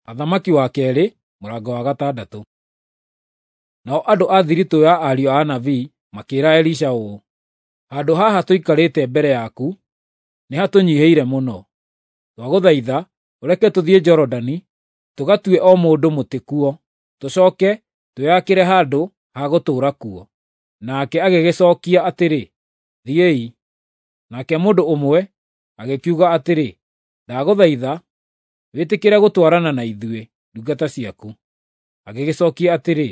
Athamaki wa kerĩ mũrango wa gatandatũ. Nao andũ a thiritũ ya ariũ a anabii makĩĩra Elisha ũũ, “Handũ haha tũikarĩte mbere yaku nĩhatũnyiihĩire mũno. Twagũthaitha ũreke tũthiĩ Jorodani tũgatue o mũndũ mũtĩ kuo, tũcooke twĩyakĩre handũ ha gũtũũra kuo.” Nake agĩgĩcookia atĩrĩ, “Thiĩi.” Nake mũndũ ũmwe agĩkiuga atĩrĩ, “Ndagũthaitha wĩtĩkĩre gũtwarana na ithuĩ ndungata ciaku.” Agĩgĩcookia atĩrĩ,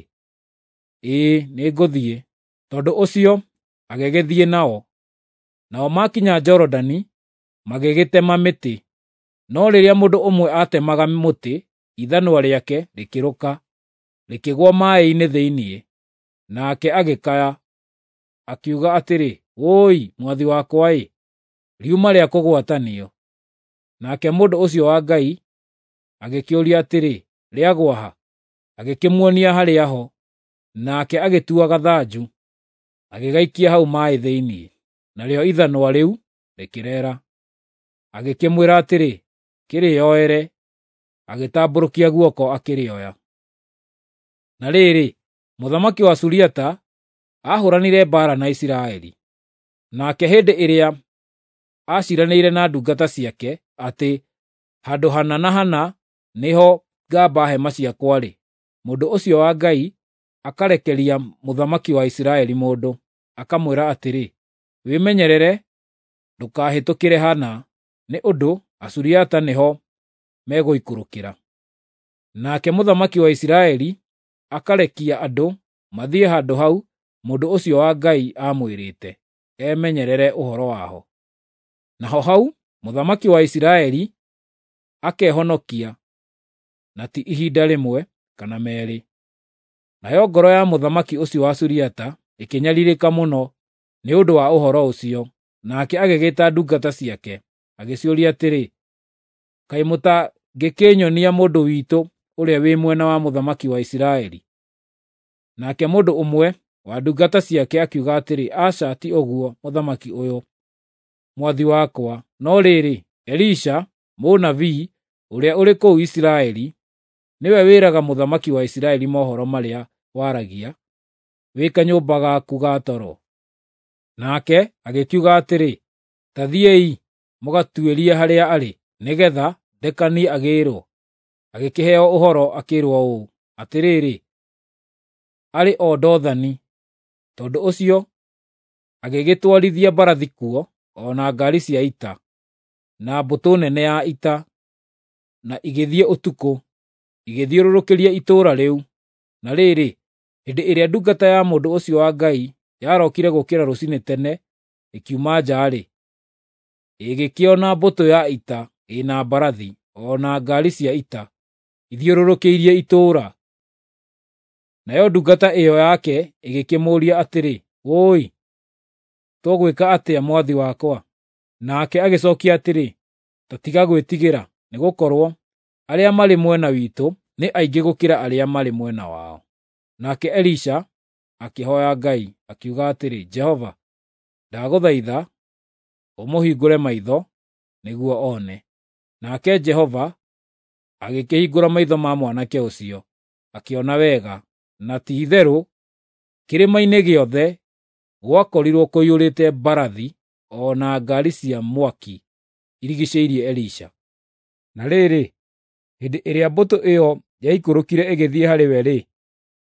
“Ĩĩ, nĩngũthiĩ.” Tondũ ũcio agĩgĩthiĩ nao. Nao maakinya Jorodani magĩgĩtema mĩtĩ. No rĩrĩa mũndũ ũmwe aatemaga mũtĩ, ithanwa rĩake rĩkĩrũka, rĩkĩgũa maaĩ-inĩ thĩinĩ. Nake agĩkaya, akiuga atĩrĩ, “Wũi, mwathi wakwa-ĩ, riuma rĩa kũgwatanio!” Nake mũndũ ũcio wa Ngai agĩkĩũria atĩrĩ, “Rĩagũa ha?” Agĩkĩmuonia harĩa ho. Nake agĩtua gathanju, agĩgaikia hau maaĩ thĩinĩ, narĩo ithanwa rĩu rĩkĩreera. Agĩkĩmwĩra atĩrĩ, “Kĩrĩoere.” Agĩtambũrũkia guoko akĩrĩoya. Na rĩrĩ, mũthamaki wa Suriata aahũranire mbaara na Isiraeli. Nake hĩndĩ ĩrĩa aaciiranĩire na ndungata ciake atĩ handũ hana na hana nĩho ngamba hema ciakwa-rĩ, mũndũ ũcio wa Ngai akarekeria mũthamaki wa Isiraeli mũndũ, akamwĩra atĩrĩ, “Wĩmenyerere ndũkahĩtũkĩre hana, nĩ ũndũ Asuriata nĩho megũikũrũkĩra.” Nake mũthamaki wa Isiraeli akarekia andũ mathiĩ handũ hau mũndũ ũcio wa Ngai aamwĩrĩte emenyerere ũhoro waho. Naho hau mũthamaki wa Isiraeli akehonokia, na ti ihinda rĩmwe kana meerĩ. Nayo ngoro ya mũthamaki ũcio wa Suriata ĩkĩnyariirĩka mũno nĩ ũndũ wa ũhoro ũcio, nake agĩgĩĩta ndungata ciake, agĩciũria atĩrĩ, “Kaĩ mũtangĩkĩnyonia mũndũ witũ ũrĩa wĩ mwena wa mũthamaki wa Isiraeli?” Nake mũndũ ũmwe wa ndungata ciake akiuga atĩrĩ, “Aca, ti ũguo, mũthamaki ũyũ, mwathi wakwa, no rĩrĩ, Elisha mũnabii ũrĩa ũrĩ kũu Isiraeli nĩwe wĩraga mũthamaki wa Isiraeli mohoro marĩa waragia wĩ kanyũmba gaku ga toro.” Nake agĩkiuga atĩrĩ, “Ta thiĩi mũgatuĩrie harĩa arĩ, nĩgeetha ndekanie agĩĩrwo.” Agĩkĩheo ũhoro akĩĩrwo ũũ, “Atĩrĩrĩ, arĩ o Dothani.” Tondũ ũcio agĩgĩtwarithia mbarathi kuo, o na ngaari cia ita, na mbũtũ nene ya ita, na igĩthiĩ ũtukũ, igĩthiũrũrũkĩria itũũra rĩu. Na rĩrĩ, hĩndĩ ĩrĩa ndungata ya mũndũ ũcio wa Ngai yarokire gũũkĩra rũciinĩ tene ĩkiuma nja-rĩ, ĩgĩkĩona mbũtũ ya ita ĩ na mbarathi o na ngaari cia ita ithiũrũrũkĩirie itũũra. Nayo ndungata ĩyo yake ĩgĩkĩmũũria atĩrĩ, “Wũi, tũgwĩka atĩa mwathi wakwa?” Nake agĩcookia atĩrĩ, “Ta tiga gwĩtigĩra, nĩgũkorwo arĩa marĩ mwena witũ nĩ aingĩ gũkĩra arĩa marĩ mwena wao.” Nake Elisha akĩhooya Ngai, akiuga atĩrĩ, “Jehova, ndagũthaitha ũmũhingũre maitho nĩguo one.” Nake Jehova agĩkĩhingũra maitho ma mwanake ũcio, akĩona wega, na ti-itherũ kĩrĩma-inĩ gĩothe gwakorirwo kũiyũrĩte mbarathi o na ngaari cia mwaki irigiicĩirie Elisha. Na rĩrĩ, hĩndĩ ĩrĩa mbũtũ ĩyo yaikũrũkire ĩgĩthiĩ harĩ we-rĩ,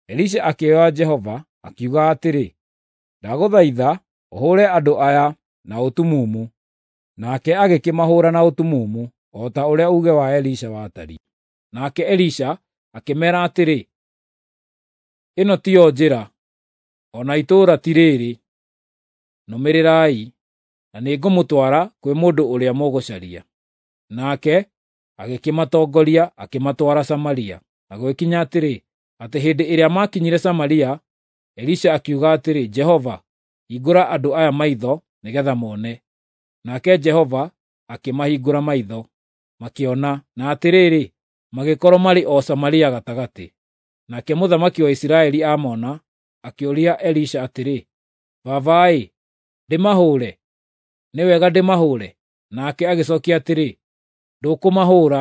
Elisha akĩhooya Jehova, akiuga atĩrĩ, “Ndagũthaitha ũhũũre andũ aya na ũtumumu.” Nake agĩkĩmahũũra na ũtumumu, o ta ũrĩa uuge wa Elisha watariĩ. Nake Elisha akĩmeera atĩrĩ, “Ĩno tiyo njĩra, o na itũũra ti rĩĩrĩ. Nũmĩrĩrai, na nĩngũmũtwara kwĩ mũndũ ũrĩa mũgũcaria.” Nake agĩkĩmatongoria akĩmatwara Samaria. Na gũgĩkinya atĩrĩ, atĩ hĩndĩ ĩrĩa maakinyire Samaria, Elisha akiuga atĩrĩ, “Jehova, hingũra andũ aya maitho nĩgeetha mone.” Nake Jehova akĩmahingũra maitho, makĩona, na atĩrĩrĩ, magĩkorwo marĩ o Samaria gatagatĩ. Nake mũthamaki wa Isiraeli aamona, akĩũria Elisha atĩrĩ, “Baba-ĩ, ndĩmahũũre? Nĩ wega ndĩmahũũre?” Nake agĩcookia atĩrĩ, “Ndũkũmahũũra.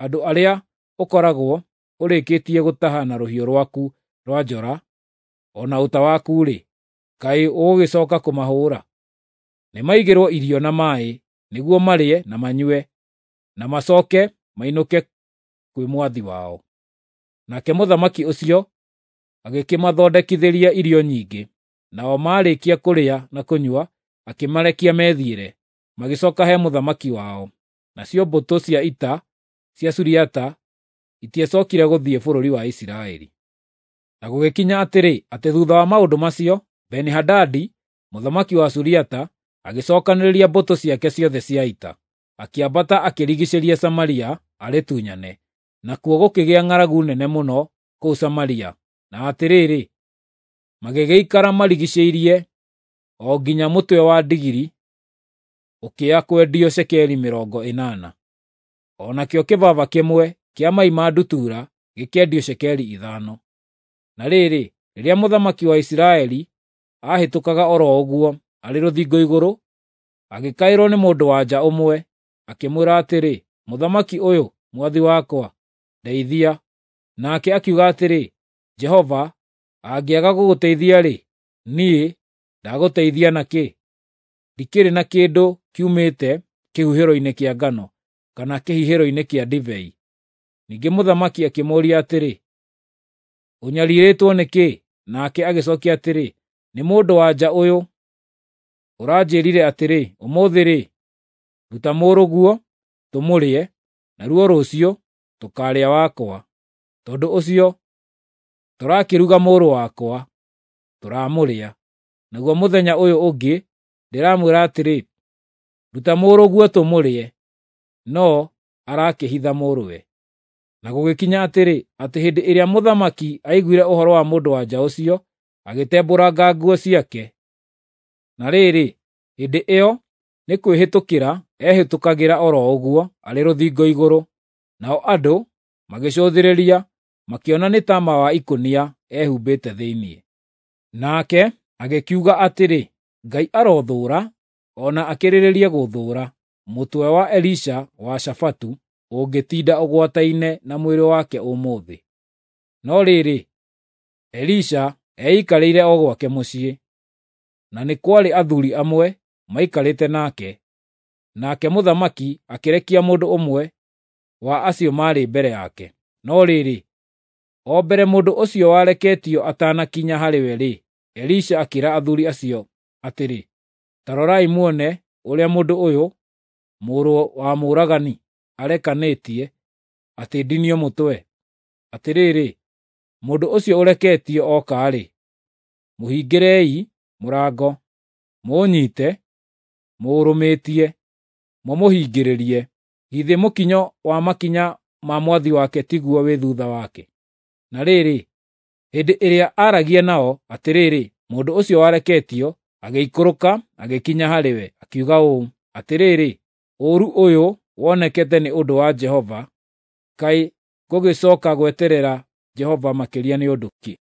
Andũ arĩa ũkoragwo ũrĩkĩtie gũtaha na rũhiũ rwaku rwa njora o na ũta waku-rĩ, kaĩ ũgũgĩcoka kũmahũũra? Nĩmaigĩrwo irio na maaĩ, nĩguo marĩe na manyue, na macooke mainũke kwĩ mwathi wao. Nake mũthamaki ũcio agĩkĩmathondekithĩria irio nyingĩ, nao maarĩkia kũrĩa na kũnyua, akĩmarekia methiĩre, magĩcooka he mũthamaki wao. Nacio mbũtũ cia ita cia Suriata itiacookire gũthiĩ bũrũri wa Isiraeli. Na gũgĩkinya atĩrĩ, atĩ thuutha wa maũndũ macio, Beni-Hadadi mũthamaki wa Suriata agĩcookanĩrĩria mbũtũ ciake ciothe cia ita, akĩambata akĩrigiicĩria Samaria arĩtunyane. Nakuo gũkĩgĩa ng'aragu nene mũno kũu Samaria, na atĩrĩrĩ, magĩgĩikara marigiicĩirie o nginya mũtwe wa ndigiri ũkĩya kwendio cekeri 80, o nakĩo kĩbaba kĩmwe kĩa mai ma ndutura gĩkĩendio cekeri 5. Na rĩrĩ, rĩrĩa mũthamaki wa Isiraeli aahĩtũkaga o ro ũguo arĩ rũthingo igũrũ, agĩkaĩrwo nĩ mũndũ-wa-nja ũmwe, akĩmwĩra atĩrĩ, “Mũthamaki ũyũ, mwathi wakwa, ndeithia!” Nake akiuga atĩrĩ, “Jehova angĩaga gũgũteithia-rĩ, niĩ ndagũteithia na kĩ? Ndikĩrĩ na kĩndũ kiumĩte kĩhuhĩro-inĩ kĩa ngano, kana kĩhihĩro-inĩ kĩa ndibei.” Ningĩ mũthamaki akĩmũũria atĩrĩ, “Ũnyariirĩtwo nĩ kĩĩ?” Nake agĩcookia atĩrĩ, “Nĩ mũndũ-wa-nja ũyũ ũranjĩĩrire atĩrĩ, 'Ũmũthĩ-rĩ, ruta mũrũguo tũmũrĩe, naruo rũciũ tũkaarĩa wakwa.' Tondũ ũcio tũrakĩruga mũrũ wakwa, tũramũrĩa. Naguo mũthenya ũyũ ũngĩ ndĩramwĩra atĩrĩ, 'Ruta mũrũguo tũmũrĩe,' no arakĩhitha mũrũwe.” Na gũgĩkinya atĩrĩ, atĩ hĩndĩ ĩrĩa mũthamaki aiguire ũhoro wa mũndũ-wa-nja ũcio, agĩtembũranga nguo ciake. Na rĩrĩ, hĩndĩ ĩyo nĩ kwĩhĩtũkĩra eehĩtũkagĩra o ro ũguo arĩ rũthingo igũrũ, nao andũ magĩcũthĩrĩria, makĩona nĩ taama wa ikũnia ehumbĩte thĩinĩ. Nake agĩkiuga atĩrĩ, “Ngai arothũũra, o na akĩrĩrĩrie gũthũũra, mũtwe wa Elisha wa Shafatu ũngĩtinda ũgwataine na mwĩrĩ wake ũmũthĩ.” No rĩrĩ, Elisha eikarĩire o gwake mũciĩ, na nĩ kwarĩ athuuri amwe maikarĩte nake. Nake mũthamaki akĩrekia mũndũ ũmwe wa acio maarĩ mbere yake. No rĩrĩ, o mbere mũndũ ũcio wareketio atanakinya harĩ we-rĩ, Elisha akĩĩra athuuri acio atĩrĩ, “Ta rorai muone ũrĩa mũndũ ũyũ, mũrũ wa mũũragani, arekanĩtie atĩ ndinio mũtwe. Atĩrĩrĩ, mũndũ ũcio ũreketio oka-rĩ, mũhingĩrei mũrango, mũũnyiite, mũũrũmĩtie, mũmũhingĩrĩrie. Githĩ mũkinyo wa makinya ma mwathi wake tiguo wĩ thuutha wake?” Na rĩrĩ, hĩndĩ ĩrĩa aaragia nao, atĩrĩrĩ, mũndũ ũcio wareketio agĩikũrũka agĩkinya harĩ we, akiuga ũũ, “Atĩrĩrĩ, ũũru ũyũ wonekete nĩ ũndũ wa Jehova, kaĩ ngũgĩcooka gweterera Jehova makĩria nĩ ũndũ kĩ?”